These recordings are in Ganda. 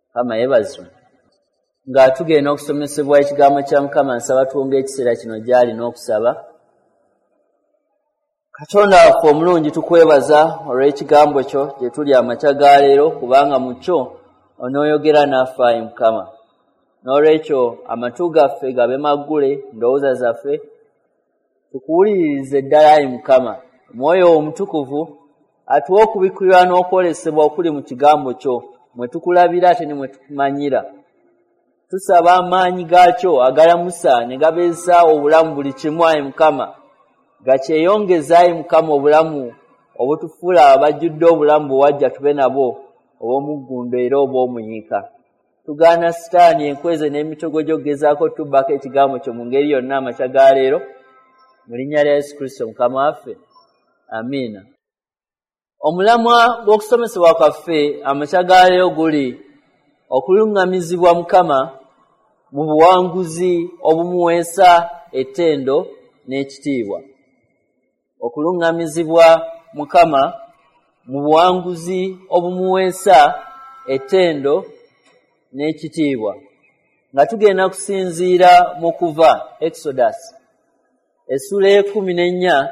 Mukama yeebazibwe. Nga tugenda okusomesebwa ekigambo kya Mukama, nsaba tuwonge ekiseera kino gy'ali n'okusaba. Katonda waffe omulungi, tukwebaza olw'ekigambo kyo gye tuli amakya ga leero, kubanga mu kyo onooyogera naffe, ayi Mukama. N'olwekyo amatu gaffe gabe maggule, ndowooza zaffe tukuwuliririze ddala, ayi Mukama. Omwoyo Omutukuvu atuwe okubikkulirwa n'okwolesebwa okuli mu kigambo kyo, mwe tukulabira ate ne mwe tukumanyira. Tusaba amaanyi gaakyo agalamusa ne gabeesa obulamu buli kimu, ayi Mukama, gakyeyongeza, ayi Mukama, obulamu obutufuula abajjudde obulamu bwe wajja tube nabwo obw'omuggundo era obw'omuyiika. Tugaana Sitaani, enkweze n'emitego gy'okugezaako tubbako ekigambo kyo mu ngeri yonna amakya ga leero, mu linnya lya Yesu Kristo Mukama waffe, amiina. Omulamwa gw'okusomesebwa kwaffe amakya ga leero guli okuluŋŋamizibwa Mukama mu buwanguzi obumuweesa ettendo n'ekitiibwa. Okuluŋŋamizibwa Mukama mu buwanguzi obumuweesa ettendo n'ekitiibwa. Nga tugenda kusinziira mu Kuva, Exodus, essula ey'e14.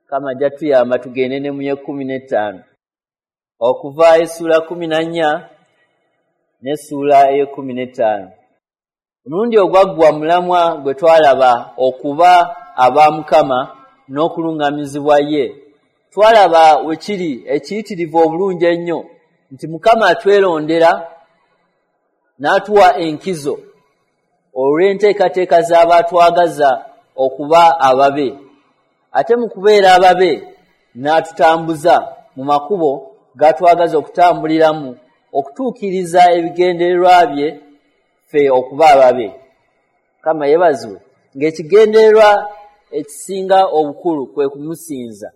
Mukama ajja tuyamba tugende ne mu y'e15. Okuva essula 14 n'essuula ey'e15. Omulundi ogwaggwa mulamwa gwe twalaba okuba aba Mukama n'okuluŋŋamizibwa ye. Twalaba we kiri ekiyitirivu obulungi ennyo nti Mukama atwerondera n'atuwa enkizo olw'enteekateeka z'abaatwagaza okuba ababe. Ate mu kubeera ababe n'atutambuza mu makubo g'atwagaza okutambuliramu okutuukiriza ebigendererwa bye ffe okuba ababe. Mukama yeebazibwe. Ng'ekigendererwa ekisinga obukulu kwe kumusinza.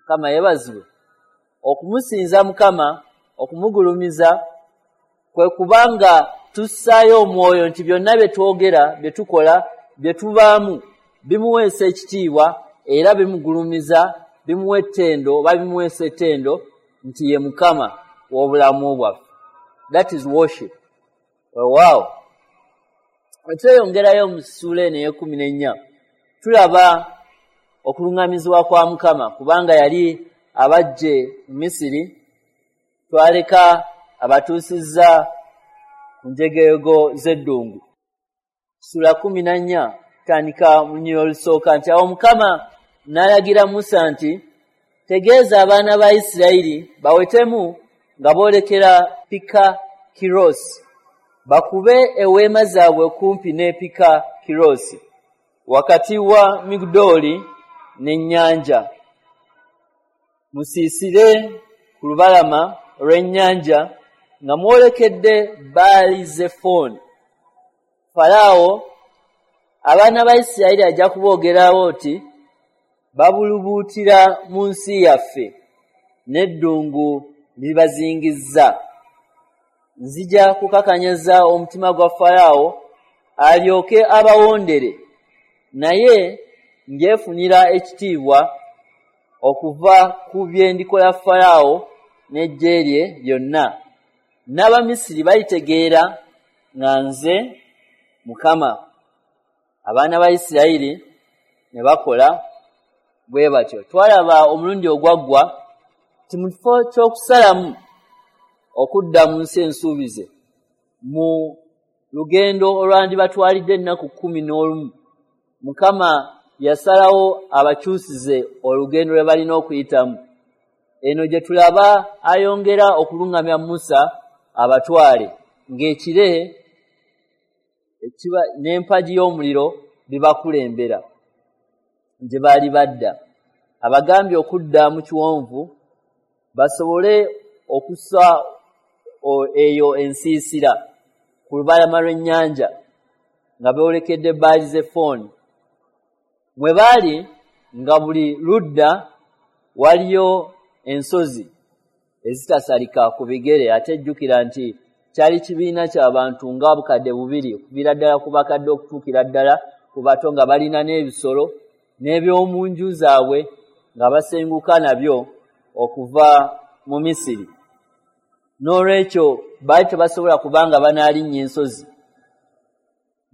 Mukama yeebazibwe. Okumusinza Mukama, okumugulumiza, kwe kubanga tussaayo omwoyo nti byonna bye twogera, bye tukola, bye tubaamu bimuweesa ekitiibwa era bimugulumiza, bimuwa ettendo oba bimuweesa ettendo nti ye Mukama w'obulamu bwaffe. That is worship. Weewaawo. Bwe tweyongerayo mu ssuula eno ey'e14, tulaba okuluŋŋamizibwa kwa Mukama, kubanga yali abaggye mu Misiri, twaleka abatuusizza ku njegego z'eddungu. Ssuula 14 tandika mu lunyiriri olusooka nti, awo Mukama n'alagira Musa nti, tegeeza abaana ba Isirayiri bawetemu nga boolekera Pikakirosi, bakube eweema zaabwe kumpi ne Pikakirosi, wakati wa Migdooli n'ennyanja. Musiisire ku lubalama olw'ennyanja nga mwolekedde Baali Zefoni. Falaawo abaana ba Isirayiri ajja kuboogerawo nti, babulubuutira mu nsi yaffe, n'eddungu libazingizza. Nzija kukakanyaza omutima gwa Falaawo alyoke abawondere, naye njefunira ekitiibwa okuva ku bye ndikola Falaawo n'eggye lye lyonna. N'Abamisiri balitegeera nga nze Mukama. Abaana ba Isirayiri ne bakola bwe batyo. Twalaba omulundi ogwaggwa nti mu kifo ky'okusalamu okudda mu nsi ensuubize mu lugendo olwandibatwalidde ennaku 11, Mukama yasalawo abakyusize olugendo lwe balina okuyitamu. Eno gye tulaba ayongera okuluŋŋamya Musa abatwale ng'ekire n'empagi y'omuliro bibakulembera gye baali badda. Abagambye okudda mu kiwonvu basobole okussa eyo ensiisira ku lubalama lw'ennyanja nga boolekedde Baali Zefoni. Mwe baali nga buli ludda waliyo ensozi ezitasalika ku bigere, ate jjukira nti kyali kibiina ky'abantu nga 2,000 okuviira ddala ku bakadde okutuukira ddala ku bato, nga balina n'ebisolo n'ebyomu nju zaabwe nga basenguka nabyo okuva mu Misiri. N'olwekyo baali tebasobola kubanga banaalinnya ensozi.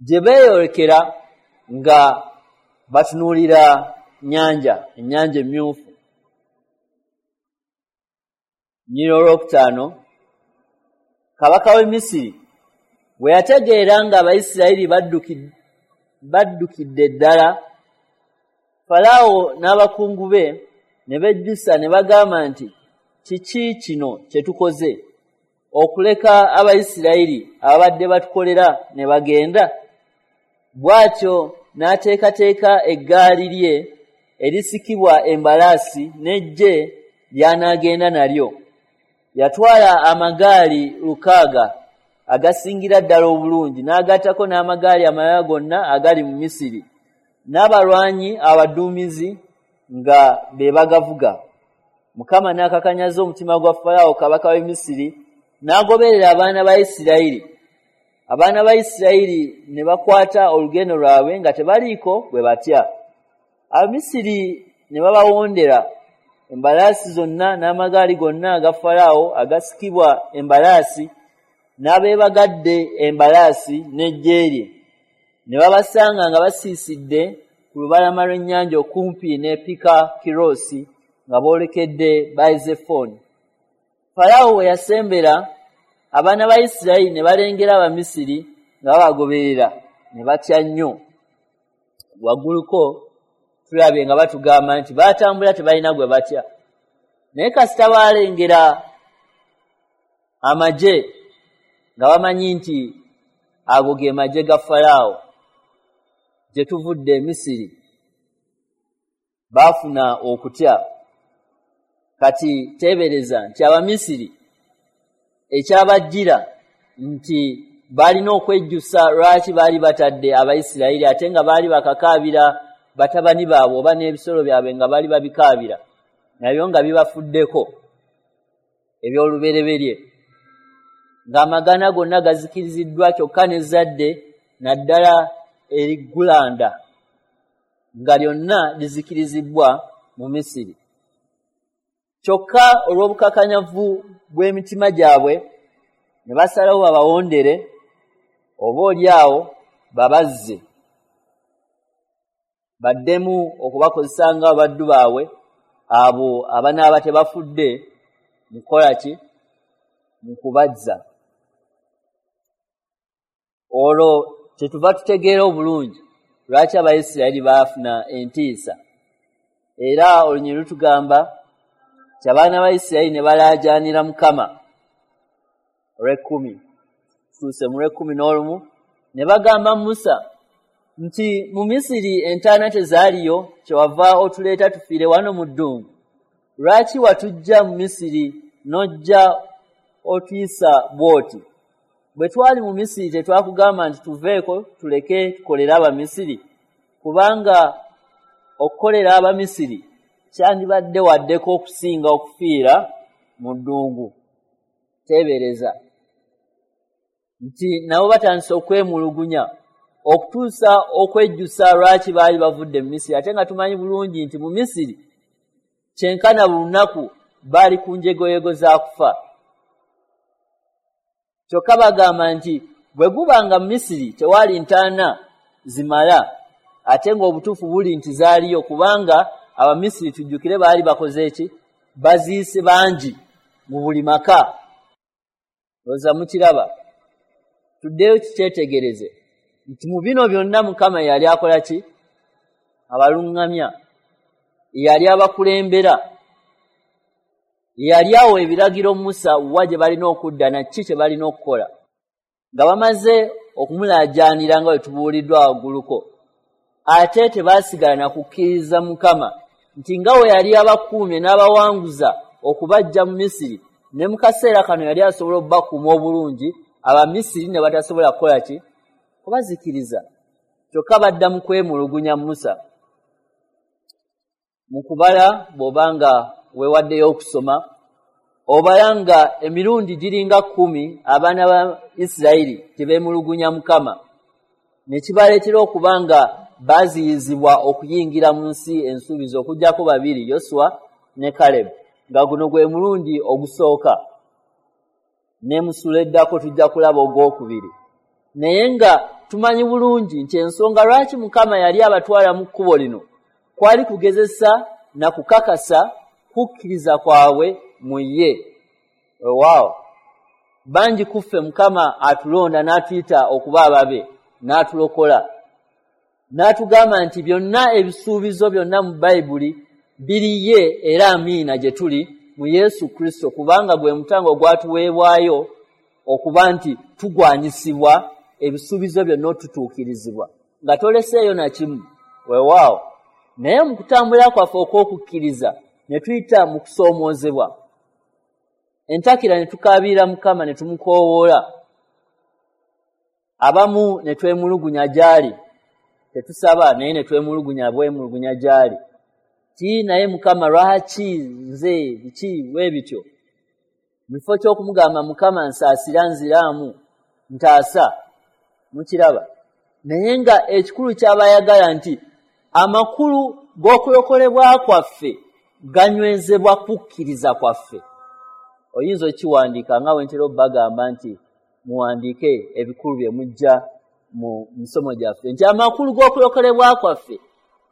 Gye beeyolekera nga batunuulira nnyanja, ennyanja emmyufu. Nnyini olwokutaano, kabaka w'e Misiri bwe yategeera nga Abayisirayiri baddukidde ddala, Falaawo n'abakungu be ne bejjusa ne bagamba nti, kiki kino kye tukoze okuleka Abayisirayiri ababadde batukolera ne bagenda? Bw'atyo n'ateekateeka eggaali lye erisikibwa embalaasi n'eggye ly'anaagenda nalyo. Yatwala amagaali 600 agasingira ddala obulungi, n'agattako n'amagaali amalala gonna agali mu Misiri, n'abalwanyi abaduumizi nga be bagavuga. Mukama n'akakanyaza omutima gwa Falaawo kabaka w'e Misiri, n'agoberera abaana ba Isirayiri. Abaana ba Isirayiri ne bakwata olugendo lwabwe nga tebaliiko bwe batya. Abamisiri ne babawondera embalaasi zonna n'amagaali gonna aga Falaawo agasikibwa embalaasi, n'abeebagadde embalaasi n'eggye lye. Ne babasanga nga basiisidde ku lubalama lw'ennyanja okumpi ne Pika-Kiroosi nga boolekedde Baali-Zefoni. Falaawo we yasembera, abaana ba Isirayiri ne balengera Abamisiri nga babagoberera, ne batya nnyo. Wagguluko tulabye nga batugamba nti baatambula tebalina gwe batya. Naye kasita baalengera amagye nga bamanyi nti ago ge magye ga Falaawo gye tuvudde e Misiri, baafuna okutya. Kati teebereza nti Abamisiri ekyabajjira nti baalina okwejjusa lwaki baali batadde Abayisirayiri, ate nga baali bakakaabira batabani baabwe oba n'ebisolo byabwe nga baali babikaabira, nabyo nga bibafuddeko eby'olubereberye, ng'amagana gonna gazikiriziddwa, kyokka n'ezzadde naddala eriggulanda nga lyonna lizikirizibbwa mu Misiri. Kyokka olw'obukakanyavu bw'emitima gyabwe ne basalawo babawondere, oba oli awo babazze baddemu okubakozesa nga abaddu baabwe, abo abanaaba tebafudde mu kukola ki? Mu kubazza. Olwo kyetuva tutegeera obulungi lwaki Abayisirayiri baafuna entiisa. Era olunyiriri lutugamba nti abaana ba Isirayiri ne balaajaanira Mukama. Olw'ekkumi, tutuuse mu lw'ekkumi n'olumu, ne bagamba Musa nti mu Misiri entaana tezaaliyo, kyewava otuleeta tufiire wano mu ddungu. Lwaki watuggya mu Misiri n'ojja otuyisa bw'oti? Bwe twali mu Misiri tetwakugamba nti tuveeko tuleke tukolere Abamisiri? Kubanga okukolera Abamisiri kyandibadde waddeko okusinga okufiira mu ddungu. Teebereza nti nabo batandise okwemulugunya okutuusa okwejjusa lwaki baali bavudde mu Misiri, ate nga tumanyi bulungi nti mu Misiri kyenkana buli lunaku baali ku njegoyego za kufa. Kyokka bagamba nti bwe guba nga mu Misiri tewaali ntaana zimala, ate ng'obutuufu buli nti zaaliyo, kubanga Abamisiri tujjukire baali bakoze ki? Baziise bangi mu buli maka. Lowooza mukiraba. Tuddeyo kikyetegereze nti mu bino byonna Mukama yali akola ki? Abaluŋŋamya, yali abakulembera, yali awo ebiragiro Musa wa gye balina okudda na ki kye balina okukola. Nga bamaze okumulaajaanira nga bwe tubuuliddwa wagguluko, ate tebaasigala na kukkiriza Mukama nti nga we yali abakuumye n'abawanguza okubaggya mu Misiri, ne mu kaseera kano yali asobola okubakuuma obulungi, Abamisiri ne batasobola kukola ki? Kubazikiriza. Kyokka badda mu kwemulugunya Musa. Mu kubala bw'oba nga weewaddeyo okusoma, obala nga emirundi giringa 10 abaana ba Isirayiri tebeemulugunya Mukama, ne kibaleetera okuba nga baaziyizibwa okuyingira mu nsi ensuubizo, okuggyako babiri, Yoswa ne Kalebu, nga guno gwe mulundi ogusooka. Ne mu ssuula eddako tujja kulaba ogwokubiri. Naye nga tumanyi bulungi nti ensonga lwaki Mukama yali abatwala mu kkubo lino kwali kugezesa na kukakasa kukkiriza kwabwe mu ye. Weewaawo, bangi ku ffe Mukama atulonda n'atuyita okuba ababe, n'atulokola, n'atugamba nti byonna ebisuubizo byonna mu Bayibuli biri ye era amiina gye tuli mu Yesu Kristo, kubanga gwe mutango ogwatuweebwayo okuba nti tugwanyisibwa ebisuubizo byonna otutuukirizibwa nga toleseeyo na kimu. Weewaawo, naye mu kutambula kwaffe okw'okukkiriza ne tuyita mu kusoomoozebwa, entakira ne tukaabirira Mukama ne tumukoowoola, abamu ne twemulugunya gy'ali, tetusaba naye ne twemulugunya bwemulugunya gy'ali, ti naye Mukama lwaki nze biki bwe bityo, mu kifo ky'okumugamba Mukama nsaasira nziraamu ntaasa. Mukiraba? Naye nga ekikulu ky'abayagala nti amakulu g'okulokolebwa kwaffe ganywezebwa kukkiriza kwaffe. Oyinza okiwandiika nga bwe ntera obbagamba nti muwandiike ebikulu bye mujja mu misomo gyaffe, nti amakulu g'okulokolebwa kwaffe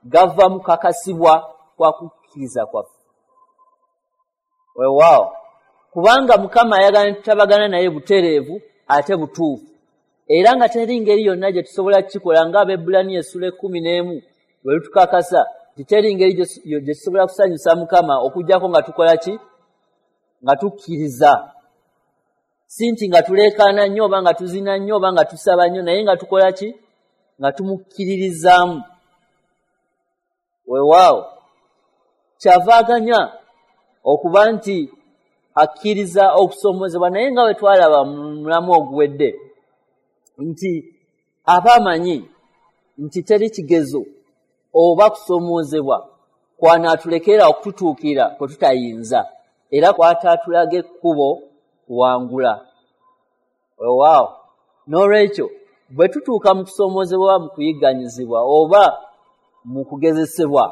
gava mu kakasibwa kwa kukkiriza kwaffe. Weewaawo, kubanga Mukama ayagala ne tutabagana naye butereevu ate butuufu, era nga teri ngeri yonna gye tusobola kukikola nga Abaebbulaniya essula 11 bwe lutukakasa nti teri ngeri gye tusobola kusanyusa Mukama okuggyako nga tukola ki? Nga tukkiriza. Si nti nga tuleekaana nnyo oba nga tuzina nnyo oba nga tusaba nnyo, naye nga tukola ki? Nga tumukkiririzaamu. Weewaawo, kyavaaganya okuba nti akkiriza okusoomozebwa, naye nga bwe twalaba mu mulamu oguwedde nti aba amanyi nti teri kigezo oba kusoomozebwa kwanaatulekera okututuukira kwe tutayinza, era kwataatulaga ekkubo kuwangula. Weewaawo, n'olwekyo bwe tutuuka mu kusoomozebwa, mu kuyigganyizibwa oba mu kugezesebwa,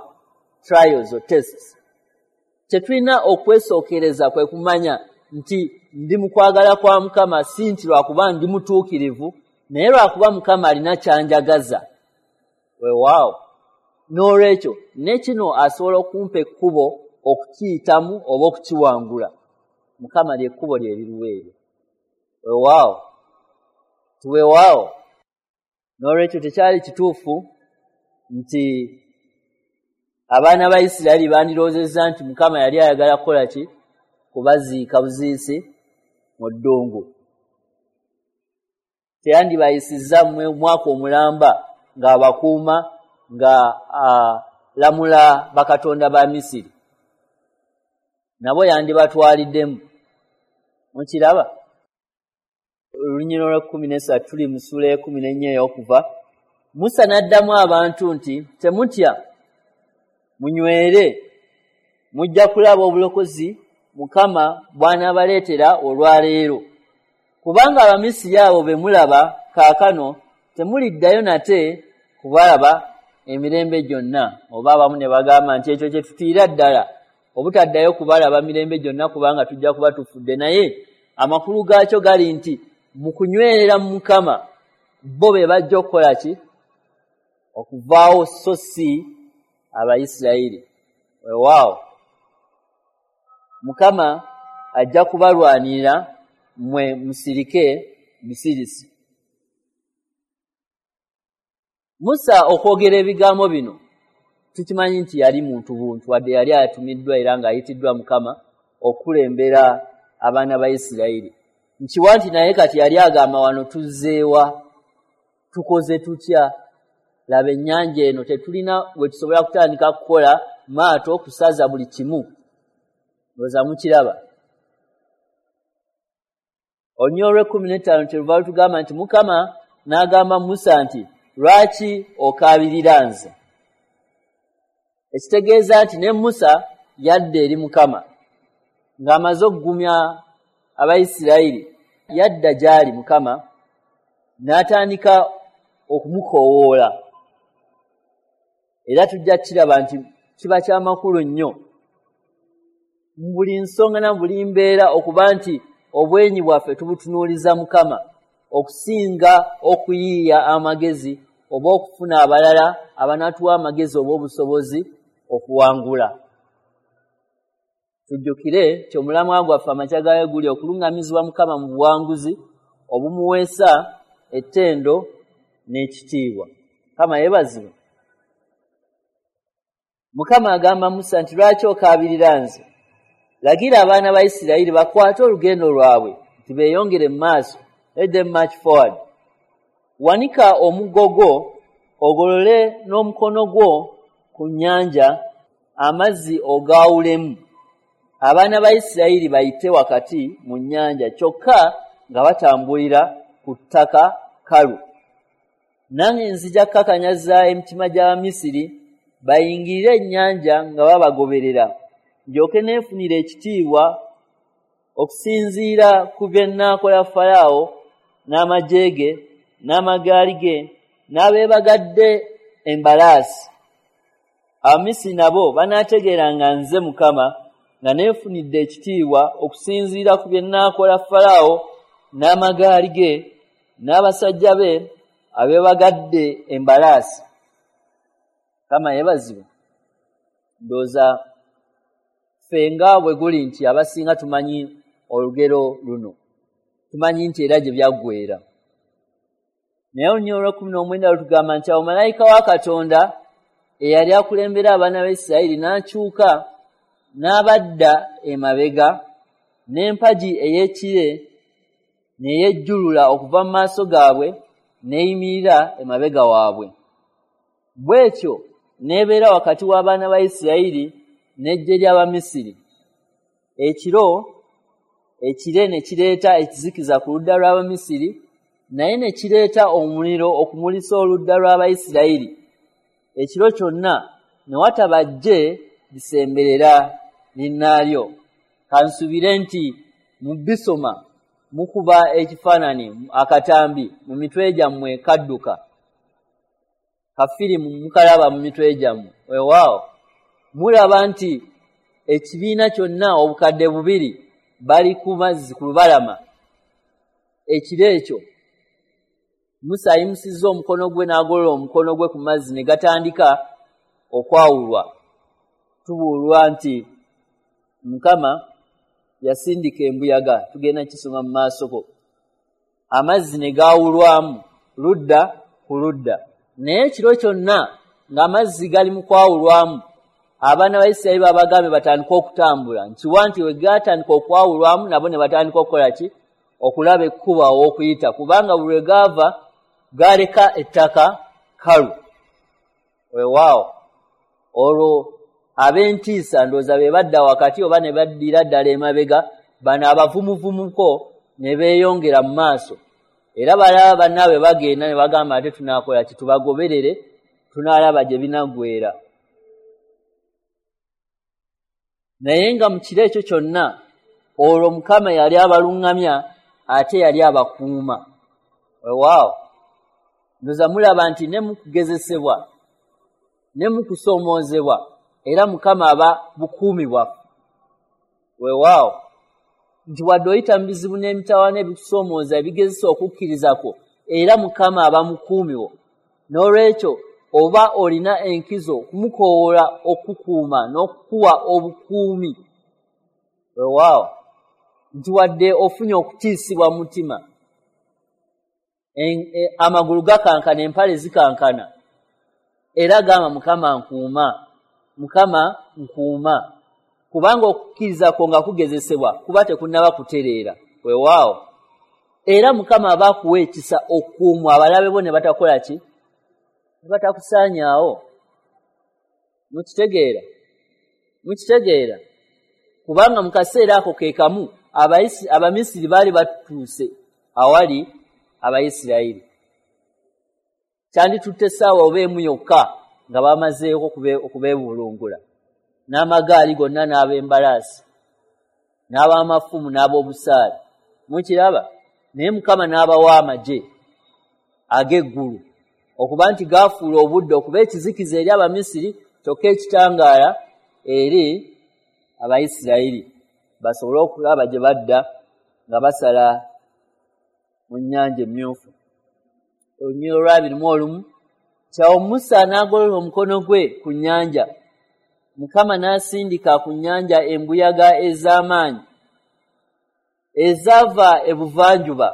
trials or tests, tetulina okwesookereza kwe kumanya nti ndi mu kwagala kwa Mukama, si nti lwakuba ndi mutuukirivu, naye lwakuba Mukama alina kyanjagaza. Weewaawo, n'olwekyo ne kino asobola okumpa ekkubo okukiyitamu oba okukiwangula. Mukama ly'ekkubo lye liruwa eryo. Weewaawo, tiweewaawo. N'olwekyo tekyali kituufu nti abaana ba Isirayiri bandirowoozezza nti Mukama yali ayagala kukola ki? Kubaziika buziisi mu ddungu. Teyandibayisizza mwaka omulamba ng'abakuuma nga alamula bakatonda ba Misiri, nabo yandibatwaliddemu. Mukiraba? Olunyiriri lwa 13 tuli mu ssuula 14 ey'okuva. Musa n'addamu abantu nti temutya, munywere, mujja kulaba obulokozi Mukama bw'anaabaleetera olwaleero, kubanga Abamisiri abo be mulaba kaakano temuliddayo nate kubalaba emirembe gyonna. Oba abamu ne bagamba nti ekyo kye tutiira ddala, obutaddayo kubalaba mirembe gyonna kubanga tujja kuba tufudde. Naye amakulu gaakyo gali nti mu kunywerera mu Mukama bo be bajja okukola ki? Okuvaawo, so si Abayisirayiri. Weewaawo, Mukama ajja kubalwanirira mmwe musirike busirisi. Musa okwogera ebigambo bino tukimanyi nti yali muntu buntu, wadde yali atumiddwa era ng'ayitiddwa Mukama okulembera abaana ba Isirayiri. Nkiwa nti naye kati yali agamba wano tuzzeewa, tukoze tutya? Laba ennyanja eno tetulina we tusobola kutandika kukola maato kusaza buli kimu. Ndowooza mukiraba. Olunyiriri lw'e15 kyeluva lutugamba nti Mukama n'agamba Musa nti lwaki okaabirira nze? Ekitegeeza nti ne Musa yadda eri Mukama ng'amaze okugumya Abayisirayiri, yadda gy'ali Mukama n'atandika okumukoowoola. Era tujja kukiraba nti kiba kyamakulu nnyo mu buli nsonga na buli mbeera okuba nti Obwenyi bwaffe tubutunuuliza Mukama okusinga okuyiiya amagezi oba okufuna abalala abanatuwa amagezi oba obusobozi okuwangula. Tujjukire nti omulamwa gwaffe amakya gaayo guli okuluŋŋamizibwa Mukama mu buwanguzi obumuweesa ettendo n'ekitiibwa. Mukama yeebazibwe. Mukama agamba Musa nti, lwaki okaabirira nze? Lagira abaana ba Isirayiri bakwate olugendo lwabwe nti beeyongere mu maaso. Let them march forward. Wanika omuggo gwo, ogolole n'omukono gwo ku nnyanja, amazzi ogaawulemu. Abaana ba Isirayiri bayite wakati mu nnyanja, kyokka nga batambulira ku ttaka kkalu. Nange nzija kukakanyaza emitima gy'Abamisiri bayingirire ennyanja nga babagoberera, ndyoke neefunire ekitiibwa okusinziira ku bye nnaakola Falaawo n'amagye ge n'amagaali ge n'abeebagadde embalaasi. Abamisiri nabo banaategeera nga nze Mukama nga neefunidde ekitiibwa okusinziira ku bye nnaakola Falaawo n'amagaali ge n'abasajja be abeebagadde embalaasi. Mukama yeebazibwe. Ndowooza ffe nga bwe guli nti abasinga tumanyi olugero luno, tumanyi nti era gye byaggweera. Naye olunyiriri olw'ekkumi n'omwenda lutugamba nti awo malayika wa Katonda eyali akulembera abaana ba Isirayiri n'akyuka n'abadda emabega n'empagi ey'ekire ne yejjulula okuva mu maaso gaabwe n'eyimirira emabega waabwe. Bw'etyo n'ebeera wakati w'abaana ba Isirayiri n'eggye ly'Abamisiri. Ekiro ekire ne kireeta ekizikiza ku ludda lw'Abamisiri, naye ne kireeta omuliro okumulisa oludda lw'Abayisirayiri. Ekiro kyonna ne wataba ggye lisemberera linnaalyo. Kansuubire nti mu bisoma mukuba ekifaananyi akatambi mu mitwe gyammwe kadduka. Kafirimu mukalaba mu mitwe gyammwe. Weewaawo mulaba nti ekibiina kyonna obukadde bubiri bali ku mazzi ku lubalama. Ekiro ekyo Musa ayimusizza omukono gwe n'agolola omukono gwe ku mazzi ne gatandika okwawulwa. Tubuulwa nti Mukama yasindika embuyaga, tugenda kisoma mu maasoko. Amazzi ne gaawulwamu ludda ku ludda. Naye ekiro kyonna ng'amazzi gali mu kwawulwamu, abaana ba Isirayiri babagambye batandike okutambula. Nkiwa nti we gatandika okwawulwamu nabo ne batandika okukola ki? Okulaba ekkubo aw'okuyita, kubanga buli lwe gaava gaaleka ettaka kkalu. Weewaawo olwo ab'entiisa ndowooza be badda wakati oba ne baddira ddala emabega, bano abavumuvumuko ne beeyongera mu maaso. Era balaba bannaabwe bagenda ne bagamba ate tunaakola ki? Tubagoberere, tunaalaba gye binaggweera. Naye nga mu kiro ekyo kyonna olwo Mukama yali abaluŋŋamya ate yali abakuuma. Weewaawo ndowooza mulaba nti ne mu kugezesebwa ne mu kusoomoozebwa era Mukama aba bukuumi bwaffe. Weewaawo nti wadde oyita mu bizibu n'emitawaana ebikusoomooza ebigezesa okukkiriza kwo, era Mukama aba mukuumi wo. N'olwekyo oba olina enkizo okumukoowoola okukuuma n'okukuwa obukuumi. Weewaawo nti wadde ofunye okutiisibwa mu mutima, amagulu gakankana, empale zikankana, era gamba Mukama nkuuma, Mukama nkuuma, kubanga okukkiriza kwo nga kugezesebwa kuba tekunnaba kutereera. Weewaawo era Mukama aba akuwa ekisa okukuumwa abalabe bo ne batakola ki? Ne batakusaanyaawo. Mukitegeera? Mukitegeera? Kubanga mu kaseera ako ke kamu Abamisiri baali batuuse awali Abayisirayiri. Kyanditutte essaawa oba emu yokka nga bamazeeko okubeebulungula n'amagaali gonna n'ab'embalaasi n'ab'amafumu n'ab'obusaale. Mukiraba? Naye Mukama n'abawa amagye ag'eggulu okuba nti gaafuula obudde okuba ekizikiza eri Abamisiri kyokka ekitangaala eri Abayisirayiri basobole okulaba gye badda nga basala mu nnyanja Emmyufu. Olunyiriri olwa 21, kyawo Musa n'agolola omukono gwe ku nnyanja, Mukama n'asindika ku nnyanja embuyaga ez'amaanyi ezaava ebuvanjuba,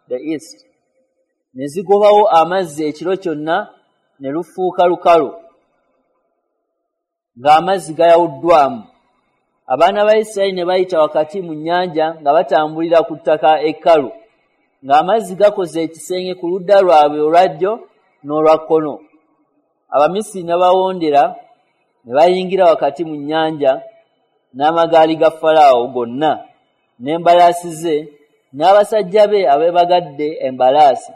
the east, ne zigobawo amazzi ekiro kyonna, ne lufuuka lukalu ng'amazzi gayawuddwamu. Abaana ba Isirayiri ne bayita wakati mu nnyanja nga batambulira ku ttaka ekkalu, ng'amazzi gakoze ekisenge ku ludda lwabwe olwa ddyo n'olwa kkono. Abamisiri ne bawondera ne bayingira wakati mu nnyanja n'amagaali ga Falaawo gonna n'embalaasi ze n'abasajja be abeebagadde embalaasi.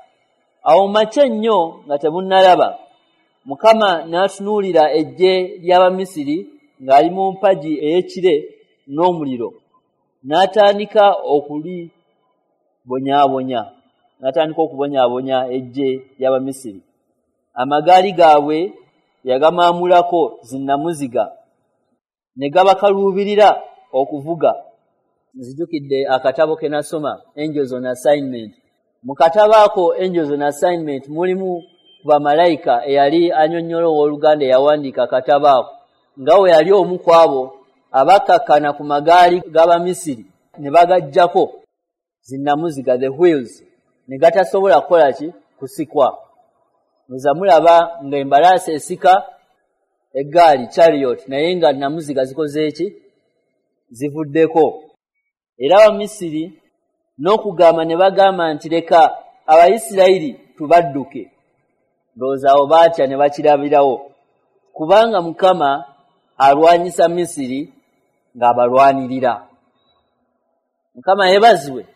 Awo makya ennyo nga tebunnalaba, Mukama n'atunuulira eggye ly'Abamisiri ng'ali mu mpagi ey'ekire n'omuliro, n'atandika okulibonyaabonya, n'atandika okubonyaabonya eggye ly'Abamisiri. Amagaali gaabwe yagamaamulako zinnamuziga, ne gabakaluubirira okuvuga. Nzijukidde akatabo ke nasoma, Angels on Assignment. Mu katabo ako, Angels on Assignment, mulimu ku bamalayika eyali annyonnyola, owooluganda eyawandiika akatabo ako, nga we yali omu ku abo abakkakkana ku magaali g'Abamisiri ne bagaggyako zinnamuziga, the wheels, ne gatasobola kukola ki? Kusikwa. Muza mulaba ng'embalaasi esika eggaali, chariot, naye nga namuziga zikoze eki? Zivuddeko. Era Abamisiri n'okugamba ne bagamba nti, "Leka Abayisirayiri tubadduke." Ndowooza awo baatya ne bakirabirawo, kubanga Mukama alwanyisa Misiri ng'abalwanirira. Mukama yeebazibwe,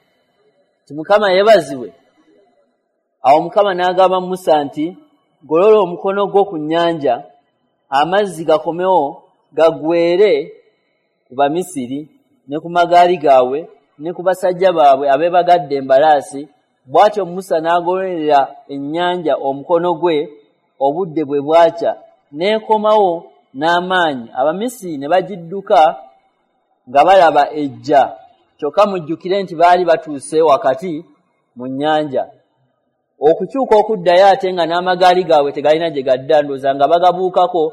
ti Mukama yeebazibwe. Awo Mukama n'agamba Musa nti, "Golola omukono gwo ku nnyanja, amazzi gakomewo gaggwere ku Bamisiri ne ku magaali gaabwe ne ku basajja baabwe abeebagadde embalaasi." Bw'atyo Musa n'agololera ennyanja omukono gwe. Obudde bwe bwakya, n'ekomawo n'amaanyi, Abamisiri ne bagidduka nga balaba ejja. Kyokka mujjukire nti baali batuuse wakati mu nnyanja. Okukyuka okuddayo, ate nga n'amagaali gaabwe tegalina gye gadda. Ndowooza nga bagabuukako,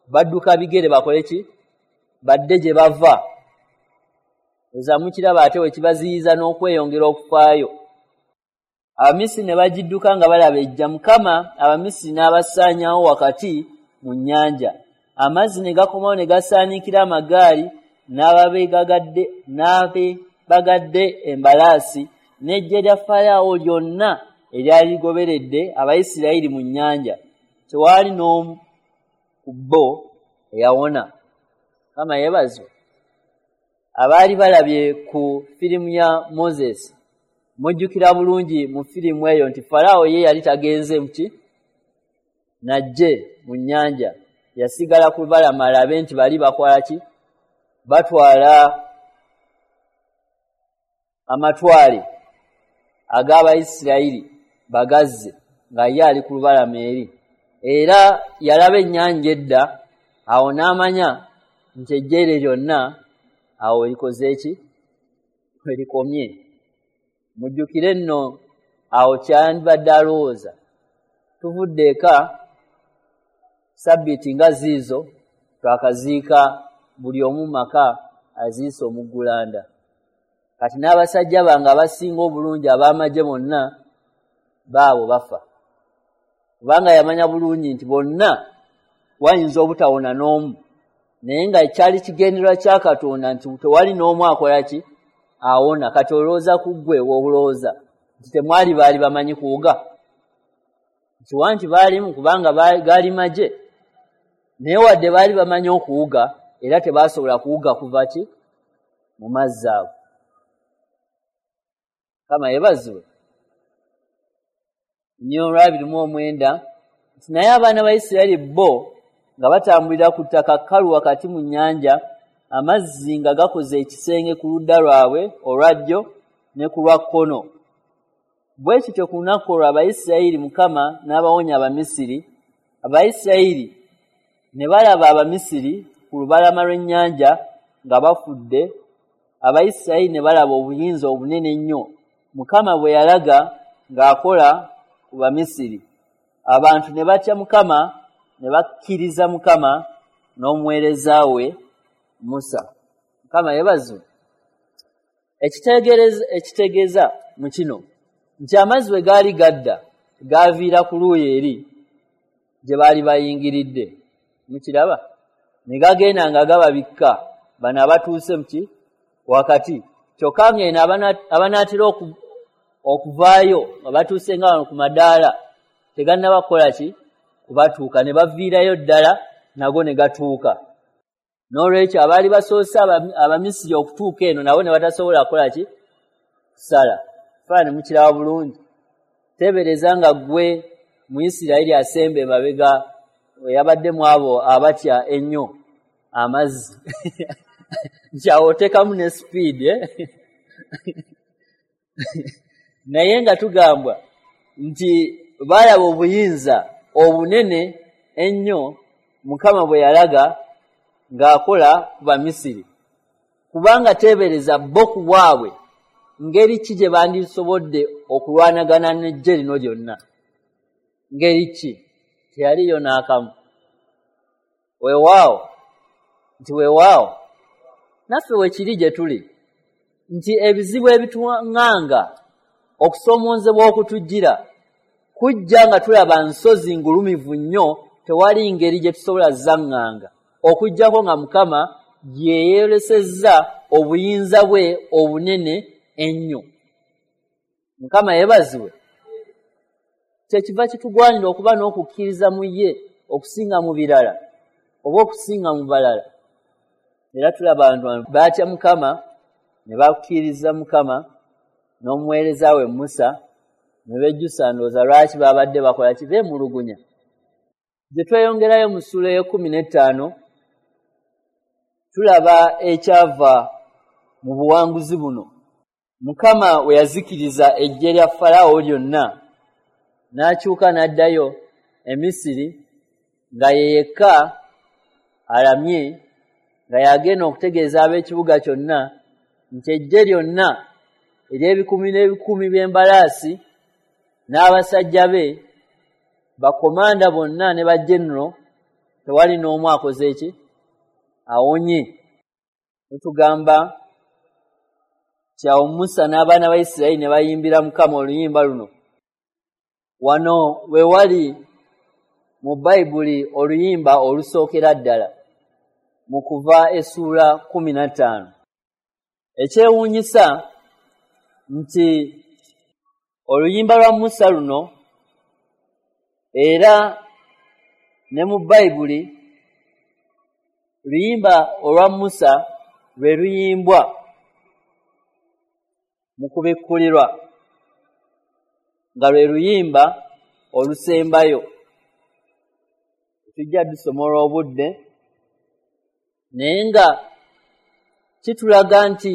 badduka bigere bakole ki? Badde gye bava. Oza mukiraba ate we kibaziyiza n'okweyongera okufaayo. Abamisiri ne bagidduka nga balaba ejja. Mukama Abamisiri n'abasaanyaawo wakati mu nnyanja. Amazzi ne gakomawo ne gasaaniikira amagaali n'abeebagadde embalaasi n'eggye lya Falaawo lyonna eryali ligoberedde Abayisirayiri mu nnyanja. Tewaali n'omu ku bo eyawona. Mukama yeebazibwe. Abaali balabye ku firimu ya Moses, mujjukira bulungi mu firimu eyo nti Falaawo ye yali tagenze muki najje mu nnyanja, yasigala ku lubalama alabe nti bali bakola ki, batwala amatwale ag'Abayisirayiri bagazze, nga ye ali ku lubalama eri. Era yalaba ennyanja edda awo, n'amanya nti ejjeere lyonna awo erikoze eki? Erikomye. Mujjukire nno awo kyandibadde alowooza, tuvudde eka sabbiiti nga ziizo, twakaziika, buli omu maka aziise omuggulanda. Kati n'abasajja bange abasinga obulungi ab'amagye bonna baabo bafa, kubanga yamanya bulungi nti bonna wayinza obutawona n'omu, naye nga kyali kigendererwa kya Katonda nti tewali n'omu akola ki? Awona. Kati olowooza ku ggwe, woolowooza nti temwali baali bamanyi kuwuga, nkiwa nti baalimu, kubanga gaali magye, naye wadde baali bamanyi okuwuga, era tebasobola kuwuga kuva ki? Mu mazzi ago. Kama yeebazibwe nnyo. Olwa 29 nti, naye abaana ba Isirayiri bo nga batambulira ku ttaka kkalu wakati mu nnyanja, amazzi nga gakoze ekisenge ku ludda lwabwe olwa ddyo ne ku lwa kkono. Bwe kityo ku lunaku olwo Abayisirayiri Mukama n'abawonya Abamisiri. Abayisirayiri ne balaba Abamisiri ku lubalama lw'ennyanja nga bafudde. Abayisirayiri ne balaba obuyinza obunene ennyo Mukama bwe yalaga ng'akola ku Bamisiri. Abantu ne batya Mukama, ne bakkiriza Mukama n'omuweereza we Musa. Mukama yeebazibwe. Ekitegeeza mu kino nti amazzi bwe gaali gadda gaaviira ku luuyi eri gye baali bayingiridde. Mukiraba? Ne gagenda nga gababikka bano abatuuse muki wakati, kyokka ng'eno abanaatera okuvaayo nga batuuse nga wano ku madaala tegannaba kukola ki kubatuuka, ne baviirayo ddala nago ne gatuuka. N'olwekyo abaali basoose Abamisiri okutuuka eno nabo ne batasobola kukola ki kusala. Faani mukiraba bulungi. Teebereza nga ggwe mu Isirayiri asemba emabega eyabadde mu abo abatya ennyo amazzi nti awo oteekamu ne sipiidi naye nga tugambwa nti baalaba obuyinza obunene ennyo Mukama bwe yalaga ng'akola ku Bamisiri. Kubanga teebereza bo ku bwabwe ngeri ki gye bandisobodde okulwanagana n'eggye lino lyonna. Ngeri ki? Teyaliyo n'akamu. Weewaawo nti weewaawo naffe we kiri gye tuli nti ebizibu ebituŋŋanga, okusoomoozebwa okutujjira kujja nga tulaba nsozi ngulumivu nnyo, tewali ngeri gye tusobola zaŋŋanga okuggyako nga Mukama yeeyolesezza obuyinza bwe obunene ennyo. Mukama yeebazibwe. Kyekiva kitugwanira okuba n'okukkiriza mu ye okusinga mu birala oba okusinga mu balala. Era tulaba abantu baatya Mukama ne bakkiriza Mukama n'omuweereza we Musa, ne bejjusa ndowooza lwaki babadde bakola ki, beemulugunya. Gye tweyongerayo mu ssuula ey'e15 tulaba ekyava mu buwanguzi buno. Mukama we yazikiriza eggye lya Falaawo lyonna n'akyuka n'addayo e Misiri nga ye yekka alamye, nga yagenda okutegeeza ab'ekibuga kyonna nti eggye lyonna ery'ebikumi n'ebikumi by'embalaasi n'abasajja be bakomanda bonna ne bajenero tewali n'omu akoze ki awonye. Tugamba nti awo Musa n'abaana ba Isirayiri ne bayimbira Mukama oluyimba luno. Wano we wali mu Bayibuli oluyimba olusookera ddala mu Kuva essuula 15. Ekyewuunyisa nti oluyimba lwa Musa luno era ne mu Bayibuli luyimba olwa Musa lwe luyimbwa mu kubikkulirwa nga lwe luyimba olusembayo. Tujja dusoma olw'obudde, naye nga kitulaga nti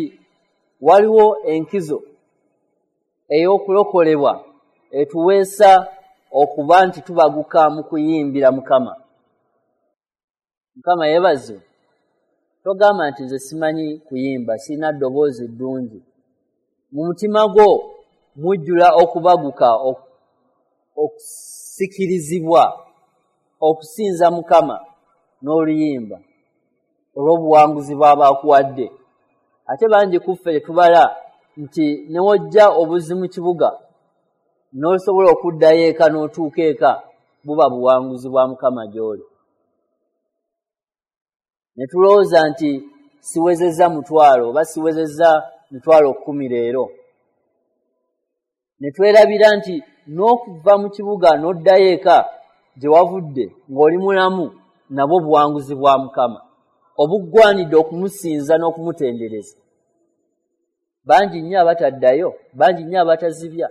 waliwo enkizo ey'okulokolebwa etuweesa okuba nti tubaguka mu kuyimbira Mukama. Mukama yeebazibwe. Togamba nti nze simanyi kuyimba, sirina ddoboozi ddungi. Mu mutima gwo mujjula okubaguka, okusikirizibwa okusinza Mukama n'oluyimba olw'obuwanguzi bw'aba akuwadde. Ate bangi ku ffe tetubala nti ne wojja obuzzi mu kibuga n'osobola okuddayo eka n'otuuka eka, buba buwanguzi bwa Mukama gy'oli. Ne tulowooza nti siwezezza 1,000 oba siwezezza 10,000 leero. Ne twerabira nti n'okuva mu kibuga n'oddayo eka gye wavudde ng'oli mulamu nabwo buwanguzi bwa Mukama obuggwanidde okumusinza n'okumutendereza. Bangi nnyo abataddayo, bangi nnyo abatazibya,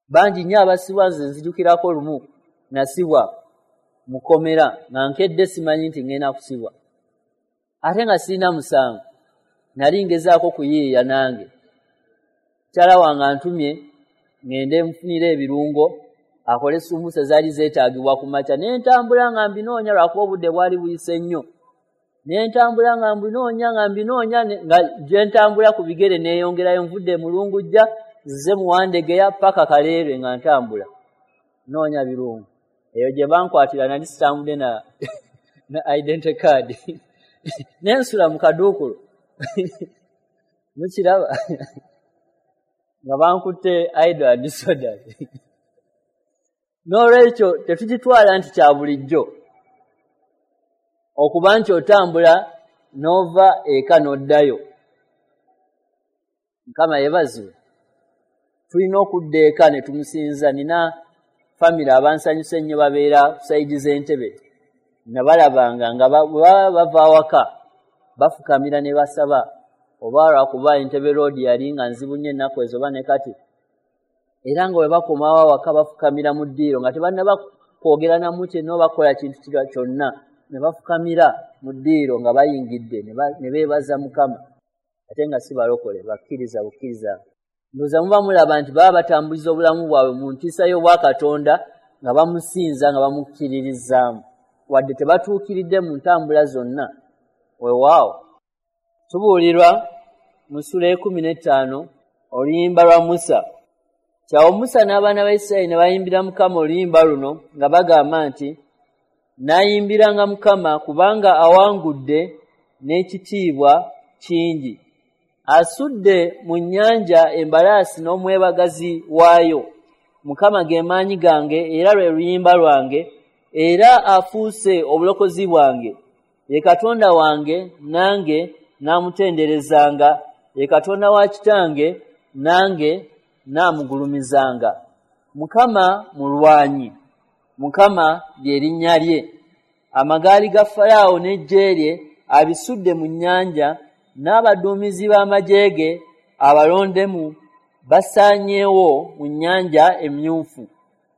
bangi nnyo abasibwa. Nze nzijukirako lumu nasibwa mukomera nga nkedde simanyi nti ngenda kusibwa, ate nga sirina musango, nali ngezaako kuyiiya nange. Mukyala wange antumye ngende nfunire ebirungo akole sumbusa zaali zeetaagibwa ku makya, ne ntambula nga mbinoonya lwakuba obudde bwali buyise nnyo. Ne ntambula nga mbinoonya nga mbinoonya, nga gye ntambula ku bigere neeyongerayo, nvudde Mulungujja nzize Muwandegeya paka Kaleerwe nga ntambula noonya birungo. Eyo gye bankwatira nali sitambudde na identity card nensula mu kaduukulu mukiraba nga bankutte idle and disorderly. N'olwekyo tetugitwala nti kya bulijjo okuba nti otambula n'ova eka n'oddayo. Mukama yeebazibwe. Tulina okudda eka ne tumusinza. Nina famire abansanyusa ennyo babeera ku sayidi z'entebe, nabalabanga nga bwe baba bava awaka bafukamira ne basaba, oba lwakuba Entebbe Road yali nga nzibu nnyo ennaku ezo oba ne kati, era nga bwe bakomawo awaka bafukamira mu ddiiro nga tebannaba kwogera namu kyenna oba bakola kintu kyonna, ne bafukamira mu ddiiro nga bayingidde ne beebaza Mukama, ate nga si balokole, bakkiriza bukkiriza. Ndowooza muba mulaba nti baba batambuliza obulamu bwabwe mu ntiisa y'obwakatonda nga bamusinza nga bamukkiririzaamu, wadde tebatuukiridde mu ntambula zonna. Weewaawo tubuulirwa mu ssula 15 oluyimba lwa Musa. Kyawo Musa n'abaana ba Isirayiri ne bayimbira Mukama oluyimba luno nga bagamba nti, naayimbiranga Mukama kubanga awangudde n'ekitiibwa kingi. Asudde mu nnyanja embalaasi n'omwebagazi waayo. Mukama ge maanyi gange era lwe luyimba lwange, era afuuse obulokozi bwange. Ye Katonda wange nange naamutenderezanga, ye Katonda wa kitange nange naamugulumizanga. Mukama mulwanyi, Mukama lye linnya lye. Amagaali ga Falaawo n'eggye lye abisudde mu nnyanja, n'abaduumizi b'amagye ge abalondemu basaanyeewo mu nnyanja emyufu.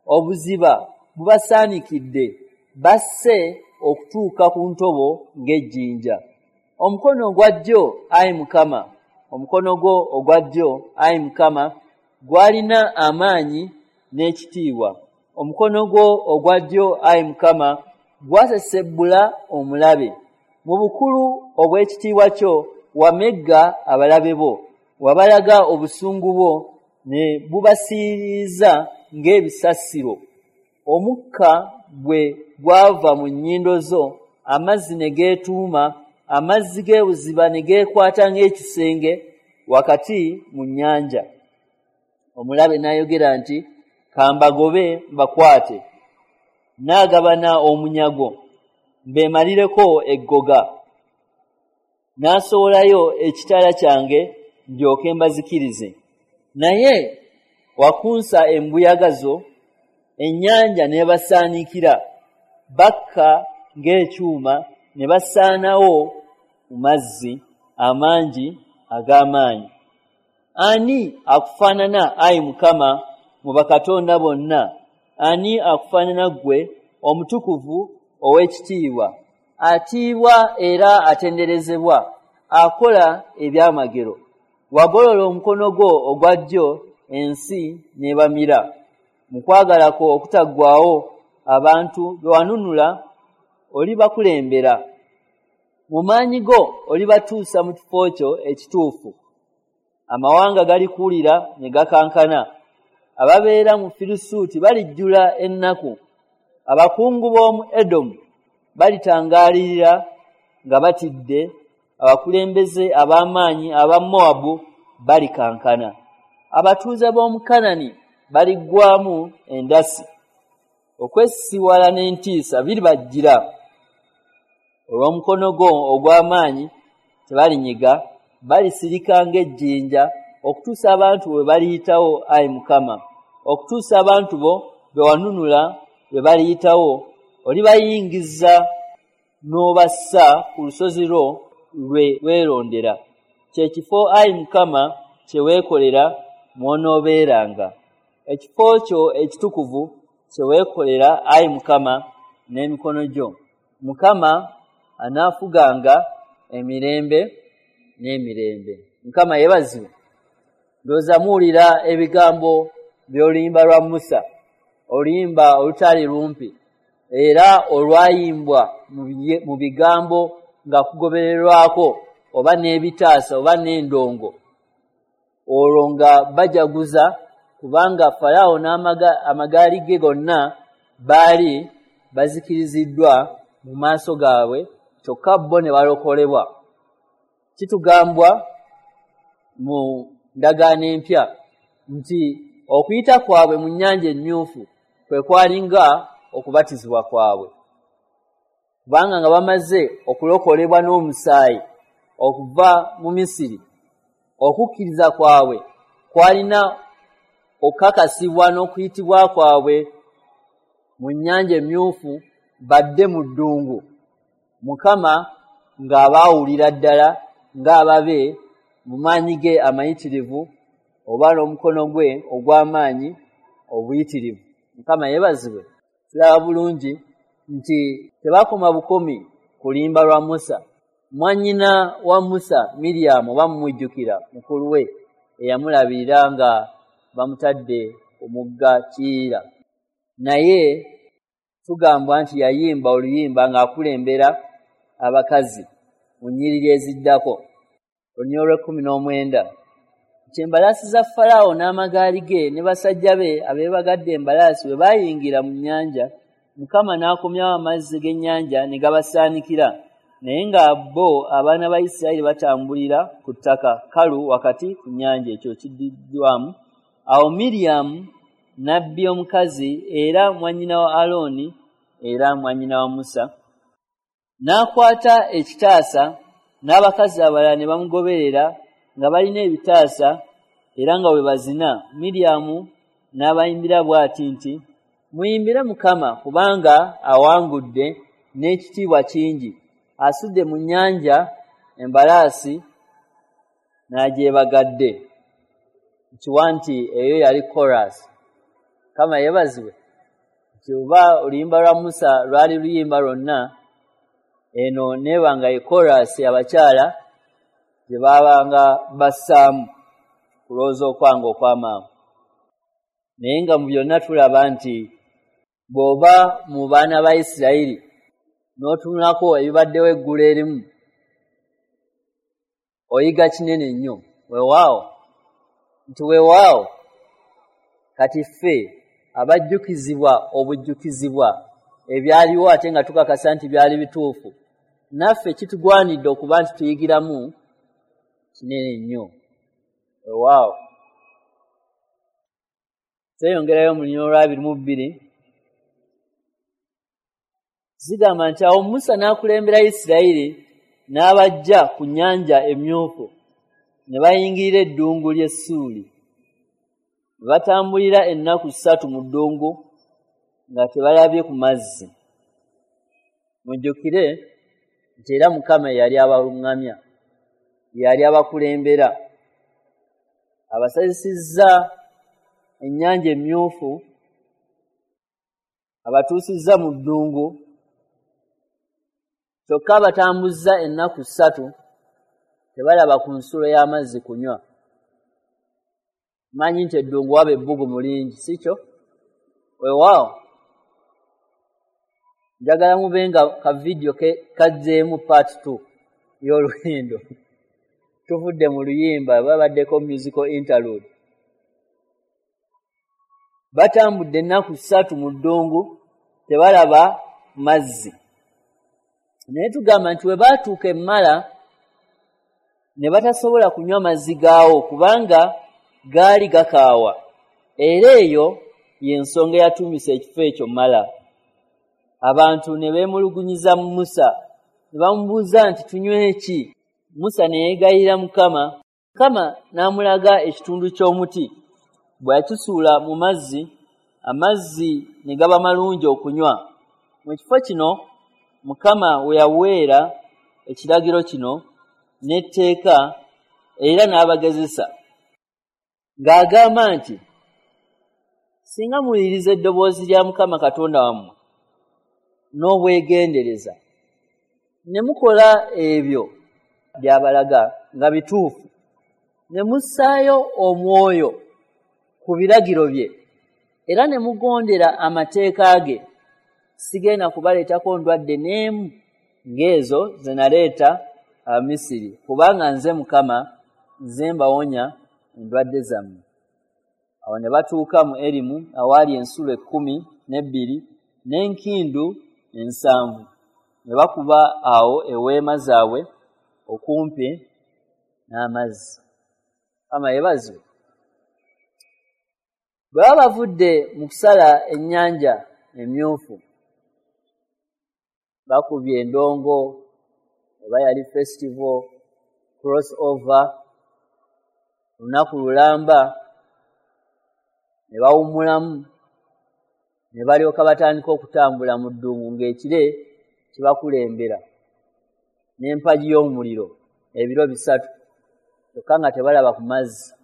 Obuziba bubasaanikidde, basse okutuuka ku ntobo ng'ejjinja. Omukono ogwa ddyo, ayi Mukama, omukono gwo ogwa ddyo, ayi Mukama, gwalina amaanyi n'ekitiibwa. Omukono gwo ogwa ddyo, ayi Mukama, gwasesebbula omulabe. Mu bukulu obw'ekitiibwa kyo wamegga abalabe bo, wabalaga obusungu bwo ne bubasiiriza ng'ebisasiro. Omukka bwe gwava mu nnyindo zo, amazzi ne geetuuma, amazzi g'ebuziba ne geekwata ng'ekisenge wakati mu nnyanja. Omulabe n'ayogera nti, kambagobe mbakwate, naagabana omunyago, mbeemalireko eggoga. N'asowolayo ekitala kyange ndyoke mbazikirize. Naye wakunsa embuyaga zo, ennyanja n'ebasaanikira, bakka ng'ekyuma ne basaanawo mu mazzi amangi ag'amaanyi. Ani akufaanana, ayi Mukama, mu bakatonda bonna? Ani akufaanana ggwe, omutukuvu ow'ekitiibwa, atiibwa era atenderezebwa, akola ebyamagero? Wagolola omukono gwo ogwa ddyo, ensi n'ebamira. Mu kwagala kwo okutaggwaawo abantu be wanunula olibakulembera. Mu maanyi go olibatuusa mu kifo kyo ekituufu. Amawanga galikuwulira ne gakankana. Ababeera mu Firisuuti balijjula ennaku. Abakungu b'omu Edomu balitangaalirira nga batidde. Abakulembeze ab'amaanyi aba Mowabu balikankana. Abatuuze b'omu Kanani baliggwamu endasi. Okwesisiwala n'entiisa biribajjira. Olw'omukono gwo ogw'amaanyi tebalinyiga, balisirika ng'ejjinja, okutuusa abantu bwe baliyitawo, ayi Mukama, okutuusa abantu bo be wanunula bwe baliyitawo. Olibayingiza n'obassa ku lusozi lwo lwe weerondera, kye kifo, ayi Mukama, kye weekolera mw'onoobeeranga, ekifo kyo ekitukuvu kye weekolera, ayi Mukama, n'emikono gyo. Mukama anaafuganga emirembe n'emirembe. Mukama yeebazibwe. Ndowooza muwulira ebigambo by'oluyimba lwa Musa, oluyimba olutali lumpi era olwayimbwa mu bigambo nga kugobererwako oba n'ebitaasa oba n'endongo, olwo nga bajaguza kubanga Falaawo n'amagaali ge gonna baali bazikiriziddwa mu maaso gaabwe, kyokka bo ne balokolebwa. Kitugambwa mu ndagaano empya nti okuyita kwabwe mu nnyanja emmyufu kwe kwalinga okubatizibwa kwabwe, kubanga nga bamaze okulokolebwa n'omusaayi okuva mu Misiri, okukkiriza kwabwe kwalina okukakasibwa n'okuyitibwa kwabwe mu nnyanja emmyufu badde mu ddungu, Mukama ng'abaawulira ddala ng'ababe mu maanyi ge amayitirivu oba n'omukono gwe ogw'amaanyi obuyitirivu. Mukama yeebazibwe. Tulaba bulungi nti tebakoma bukomi ku luyimba lwa Musa. Mwannyina wa Musa Miriyamu, oba mumujjukira, mukulu we eyamulabirira nga bamutadde ku mugga Kiyira, naye tugambwa nti yayimba oluyimba ng'akulembera abakazi mu nnyiriri eziddako. Olunyiriri olw'ekkumi n'omwenda nti embalaasi za Falaawo n'amagaali ge ne basajja be abeebagadde embalaasi bwe baayingira mu nnyanja, Mukama n'akomyawo amazzi g'ennyanja ne gabasaanikira, naye nga bo abaana ba Isirayiri batambulira ku ttaka kkalu wakati ku nnyanja. Ekyo kiddiddwamu. Awo Miriyamu nabbi omukazi era mwannyina wa Alooni era mwannyina wa Musa n'akwata ekitaasa, n'abakazi abalala ne bamugoberera nga balina ebitaasa era nga bwe bazina. Miriyamu n'abayimbira bw'ati nti, muyimbire Mukama kubanga awangudde n'ekitiibwa kingi, asudde mu nnyanja embalaasi n'agyebagadde. Nkiwa nti eyo yali chorus. Mukama yeebazibwe nti oba oluyimba lwa Musa lwali luyimba lwonna, eno neebanga ye chorus abakyala gye baabanga bassaamu kulowooza okwange okw'amangu. Naye nga mu byonna tulaba nti bw'oba mu baana ba Isirayiri n'otunulako ebibaddewo eggulo erimu, oyiga kinene nnyo. Weewaawo nti weewaawo kati ffe abajjukizibwa obujjukizibwa ebyaliwo ate nga tukakasa nti byali bituufu, naffe kitugwanidde okuba nti tuyigiramu kinene nnyo. Weewaawo tweyongerayo mu lunyiriri olwa 22. Zigamba nti awo Musa n'akulembera Isirayiri n'abajja ku nnyanja emmyufu, ne bayingirira eddungu ly'e Ssuuli. Ne batambulira ennaku 3 mu ddungu nga tebalabye ku mazzi. Mujjukire nti era Mukama yali abaluŋŋamya, yali abakulembera, abasazisizza ennyanja emmyufu, abatuusizza mu ddungu, kyokka abatambuzza ennaku 3 tebalaba ku nsulo y'amazzi kunywa. Manyi nti eddungu waba ebbugumu lingi, si kyo? Weewaawo njagala mube nga ka vidiyo kazzeemu part 2 y'olugendo. Tuvudde mu luyimba, babaddeko musical interlude. Batambudde ennaku 3 mu ddungu tebalaba mazzi. Naye tugamba nti bwe baatuuka emmala ne batasobola kunywa mazzi gaawo kubanga gaali gakaawa, era eyo y'ensonga eyatuumisa ekifo ekyo Mala. Abantu ne beemulugunyiza Musa ne bamubuuza nti tunywe ki? Musa ne yeegayirira Mukama. Mukama n'amulaga ekitundu ky'omuti, bwe yakisuula mu mazzi, amazzi ne gaba malungi okunywa. Mu kifo kino Mukama we yaweera ekiragiro kino n'etteeka era n'abagezesa ng'agamba nti singa muwuliriza eddoboozi lya Mukama Katonda wammwe n'obwegendereza ne mukola ebyo by'abalaga nga bituufu, ne mussaayo omwoyo ku biragiro bye era ne mugondera amateeka ge, sigenda kubaleetako ndwadde n'emu ng'ezo ze naleeta Abamisiri, kubanga nze Mukama, nze mbawonya endwadde zammwe. Awo ne batuuka mu Erimu awaali ensulo 12 n'enkindu 7, ne bakuba awo eweema zaabwe okumpi n'amazzi. Mukama yeebazibwe. Bwe baba bavudde mu kusala ennyanja emyufu, bakubye endongo, oba yali festival, cross over, olunaku lulamba, ne bawummulamu, ne balyoka batandika okutambula mu ddungu ng'ekire kibakulembera n'empagi y'omuliro ebiro 3, kyokka nga tebalaba ku mazzi.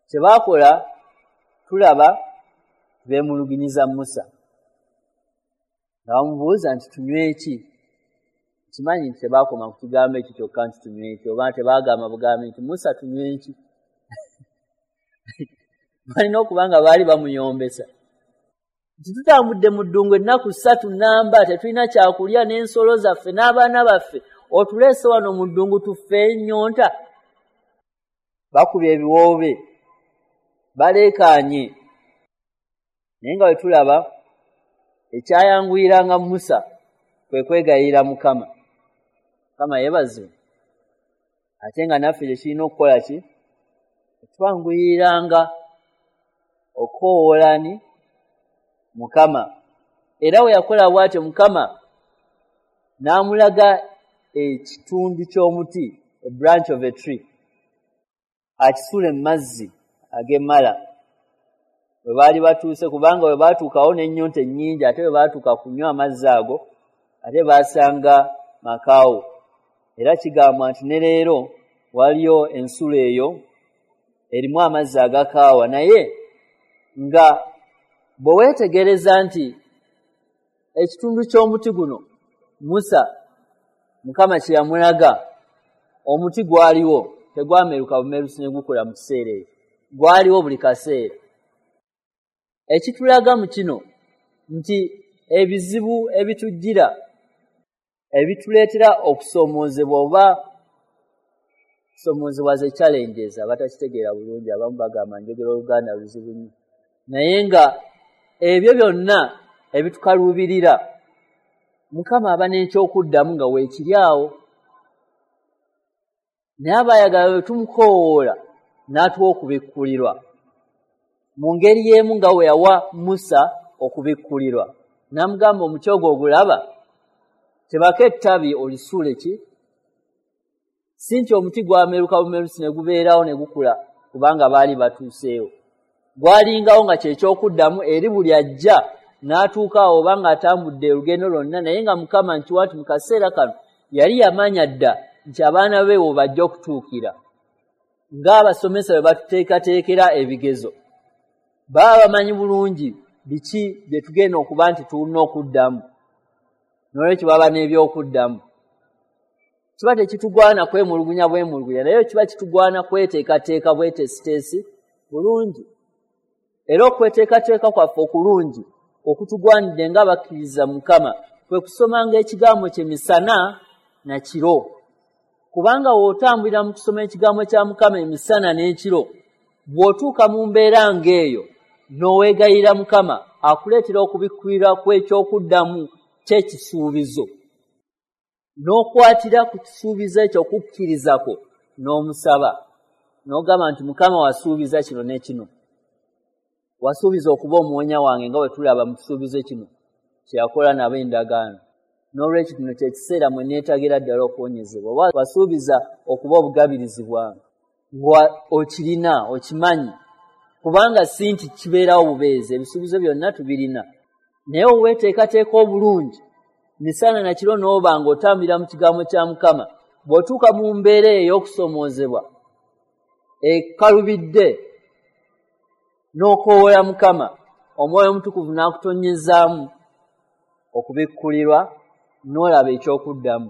Kye baakola tulaba beemulugunyiza Musa, nga bamubuuza nti tunywe ki? Kimanyi nti tebaakoma ku kigambo ekyo kyokka nti tunywe ki, oba tebaagamba bugambi nti Musa tunywe ki. Balina okuba nga baali bamuyombesa nti tutambudde mu ddungu ennaku 3 namba, tetulina kyakulya n'ensolo zaffe n'abaana baffe, otuleese wano mu ddungu tufe ennyonta. Bakubye ebiwoobe, baleekaanye. Naye nga bwe tulaba ekyayanguyiranga Musa kwe kwegayirira Mukama. Mukama yeebazibwe. Ate nga naffe kye kirina okukola ki? Twanguyiranga okukoowoola ni Mukama. Era we yakola bw'atyo Mukama n'amulaga ekitundu ky'omuti, a branch of a tree, akisuule mu mazzi ag'emmala. Bwe baali batuuse, kubanga bwe baatuukawo n'ennyonta ennyingi, ate bwe baatuuka kunywa amazzi ago, ate baasanga makaawo. Era kigambwa nti ne leero waliyo ensulo eyo erimu amazzi agakaawa, naye nga bwe weetegereza nti ekitundu ky'omuti guno Musa Mukama kye yamulaga, omuti gwaliwo, tegwameruka bumerusi ne gukula mu kiseera ekyo, gwaliwo buli kaseera. Ekitulaga mu kino nti ebizibu ebitujjira ebituleetera okusoomoozebwa, oba kusoomoozebwa ze challenges, abatakitegeera bulungi abamu bagamba njogera Oluganda luzibu nnyo, naye nga ebyo byonna ebitukaluubirira Mukama aba n'ekyokuddamu nga weekiri awo. Naye abaayagala bwe tumukoowoola n'atuwa okubikkulirwa mu ngeri y'emu nga we yawa Musa okubikkulirwa, n'amugamba omuti ogwo ogulaba, tebako ettabi olisuule ki? Si nti omuti gwameruka bumerusi ne gubeerawo ne gukula, kubanga baali batuuseewo. Gwalingawo nga kyekyokuddamu eri buli ajja n'atuuka awo oba ng'atambudde olugendo lwonna, naye nga Mukama nkiwa nti mu kaseera kano yali yamanya dda nti abaana be we bajja okutuukira. Ng'abasomesa bwe batuteekateekera ebigezo, baba bamanyi bulungi biki bye tugenda okuba nti tulina okuddamu, n'olwekyo baba n'ebyokuddamu. Kiba tekitugwana kwemulugunya bwemulugunya, naye kiba kitugwana kweteekateeka bweteesiteesi bulungi. Era okweteekateeka kwaffe okulungi okutugwanidde ng'abakkiriza Mukama kwe kusomanga ekigambo kye misana na kiro, kubanga w'otambulira mu kusoma ekigambo kya Mukama emisana n'ekiro, bw'otuuka mu mbeera ng'eyo n'oweegayirira Mukama, akuleetera okubikkulirwa kw'ekyokuddamu ky'ekisuubizo, n'okwatira ku kisuubizo ekyo okukkirizako n'omusaba, n'ogamba nti Mukama wasuubiza kino ne kino, wasuubiza okuba omuwonya wange nga bwe tulaba mu kisuubizo kino kye yakola nabo endagaano. N'olwekyo kino kye kiseera mwe neetagira ddala okuwonyezebwa. Oba wasuubiza okuba obugabirizi bwange, nga okirina okimanyi, kubanga si nti kibeerawo bubeezi, ebisuubizo byonna tubirina, naye oweeteekateeka obulungi misana na kiro n'oba ng'otambulira mu kigambo kya Mukama, bw'otuuka mu mbeera eyo ey'okusoomoozebwa ekalubidde n'okoowoola Mukama, Omwoyo Omutukuvu n'akutonyezaamu okubikkulirwa n'olaba ekyokuddamu.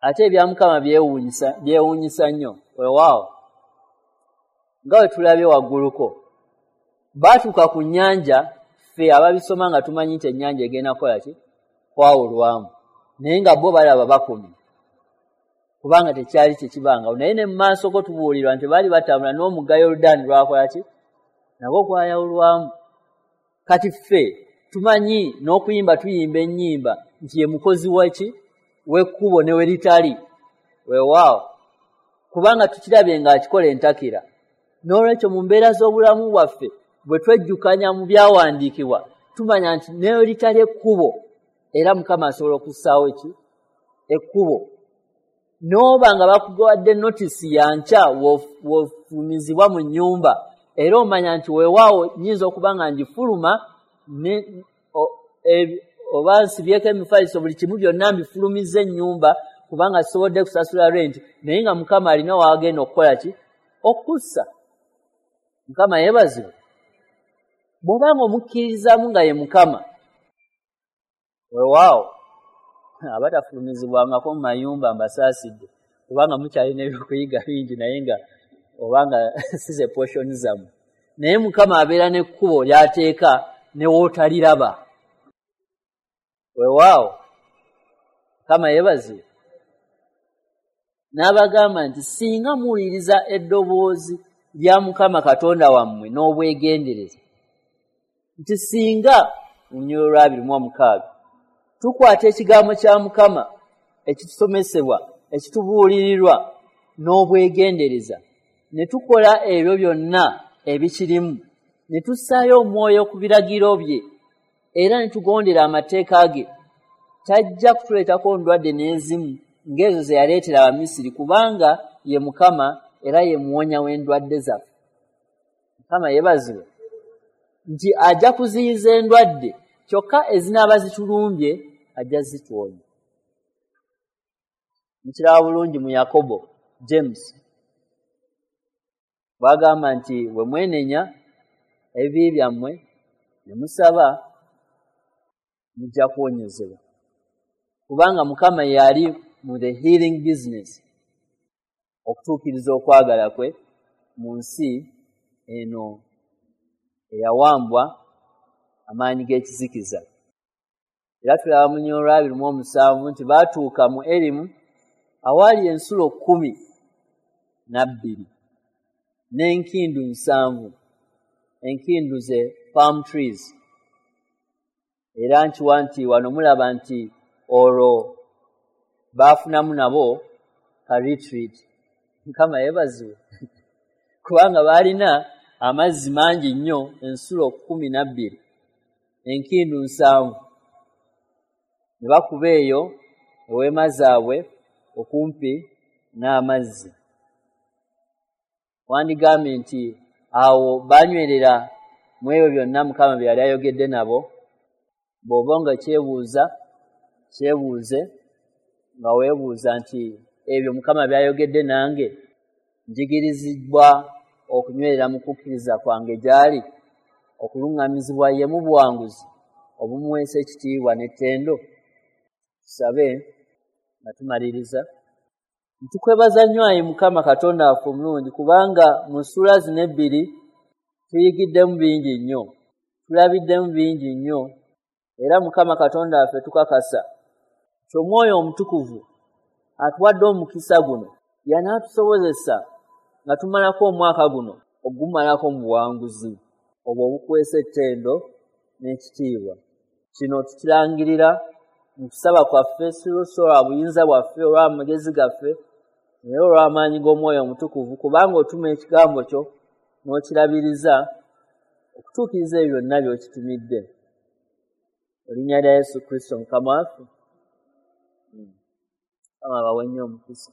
Ate ebya Mukama byewuunyisa nnyo. Weewaawo nga bwe tulabye wagguluko, baatuuka ku nnyanja, ffe ababisoma nga tumanyi nti ennyanja egenda kukola ki? Kwawulwamu. Naye nga bo balaba bakomye, kubanga tekyali kyekibangawo. Naye ne mu maaso go tubuulirwa nti baali batambula n'omugga Yoludaani lwakola ki? Nagwo gwayawulwamu. Kati ffe tumanyi n'okuyimba, tuyimba ennyimba nti ye mukozi waki? W'ekkubo ne we litali. Weewaawo, kubanga tukirabye ng'akikola entakira. N'olwekyo mu mbeera z'obulamu bwaffe bwe twejjukanya mu byawandiikibwa, tumanya nti ne we litali ekkubo, era Mukama asobola okussaawo ki? Ekkubo. N'oba nga bakuwadde notisi ya nkya w'ofulumizibwa mu nnyumba, era omanya nti weewaawo nnyinza okuba nga ngifuluma oba nsibyeko emifaliso, buli kimu byonna mbifulumizza ennyumba kubanga sisobodde kusasula renti, naye nga Mukama alina w'agenda okukola ki? Okussa. Mukama yeebazibwe. Bw'obanga omukkirizaamu nga ye Mukama, weewaawo abatafulumizibwangako mu mayumba mbasaasidde, kubanga mukyalina ebyokuyiga bingi, naye nga obanga si ze portion zammwe. Naye Mukama abeera n'ekkubo ly'ateeka ne w'otaliraba. Weewaawo, Mukama yeebazibwe. N'abagamba nti singa muwuliriza eddoboozi lya Mukama Katonda wammwe n'obwegendereza, nti singa mu lunyiriri lwa 26 tukwata ekigambo kya Mukama ekitusomesebwa, ekitubuulirirwa n'obwegendereza, ne tukola ebyo byonna ebikirimu, ne tussaayo omwoyo ku biragiro bye, era ne tugondera amateeka ge, tajja kutuleetako ndwadde n'ezimu ng'ezo ze yaleetera Abamisiri, kubanga ye Mukama era ye muwonya w'endwadde zaffe. Mukama yeebazibwe nti ajja kuziyiza endwadde, kyokka ezinaaba zitulumbye ajja zituwonya. Mukiraba bulungi mu Yakobo, James, bw'agamba nti bwe mwenenya ebibi byammwe ne musaba, mujja kuwonyezebwa, kubanga Mukama yali mu the healing business, okutuukiriza okwagala kwe mu nsi eno eyawambwa amaanyi g'ekizikiza. Era tulaba mu lunyiriri lwa 27 nti baatuuka mu Erimu awaali ensulo 12 n'enkindu 7, enkindu ze palm trees. Era nkiwa nti wano mulaba nti olwo baafunamu nabo ka retreat. Mukama yeebazibwe, kubanga baalina amazzi mangi nnyo, ensulo 12, enkindu 7, ne bakuba eyo eweema zaabwe okumpi n'amazzi. Wandigambye nti awo banywerera mu ebyo byonna Mukama bye yali ayogedde nabo. Bw'oba nga kyebuuza, kyebuuze nga weebuuza nti ebyo Mukama by'ayogedde nange, njigirizibwa okunywerera mu kukkiriza kwange gy'ali, okuluŋŋamizibwa ye mu buwanguzi obumuweesa ekitiibwa n'ettendo. Tusabe nga tumaliriza. Ntukwebaza nnyo ayi Mukama Katonda waffe omulungi, kubanga mu ssuula zino ebbiri tuyigiddemu bingi nnyo, tulabiddemu bingi nnyo, era Mukama Katonda waffe tukakasa nti Omwoyo Omutukuvu atuwadde omukisa guno, yanaatusobozesa nga tumalako omwaka guno ogumalako mu buwanguzi obwo obukwesa ettendo n'ekitiibwa. Kino tukirangirira mu kusaba kwaffe, si lwa buyinza bwaffe olw'amagezi gaffe, naye olw'amaanyi g'Omwoyo Omutukuvu, kubanga otuma ekigambo kyo n'okirabiriza okutuukiriza ebyo byonna by'okitumidde. Erinnya lya Yesu Kristo Mukama waffe. Mukama abawe nnyo omukisa.